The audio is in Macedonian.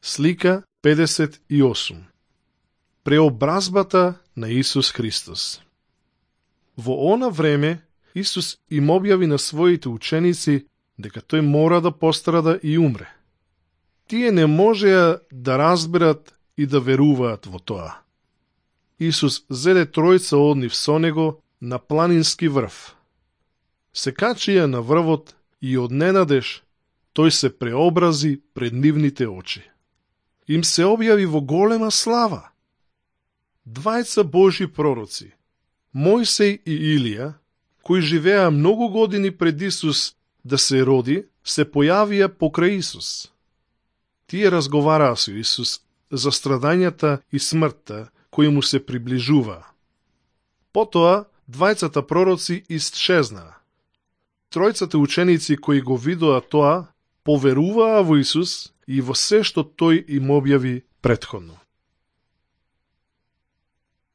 Слика 58. Преобразбата на Исус Христос. Во она време Исус им објави на своите ученици дека тој мора да пострада и умре. Тие не можеа да разберат и да веруваат во тоа. Исус зеде тројца од нив со него на планински врв. Се качија на врвот и одненадеж тој се преобрази пред нивните очи. Им се објави во голема слава. Двајца Божји пророци, Мојсей и Илија, кои живеа многу години пред Исус да се роди, се појавија покрај Исус. Тие разговараа со Исус за страдањата и смртта кои му се приближуваа. Потоа двајцата пророци исчезнаа. Тројцата ученици кои го видоа тоа, поверуваа во Исус и во се што тој им објави претходно.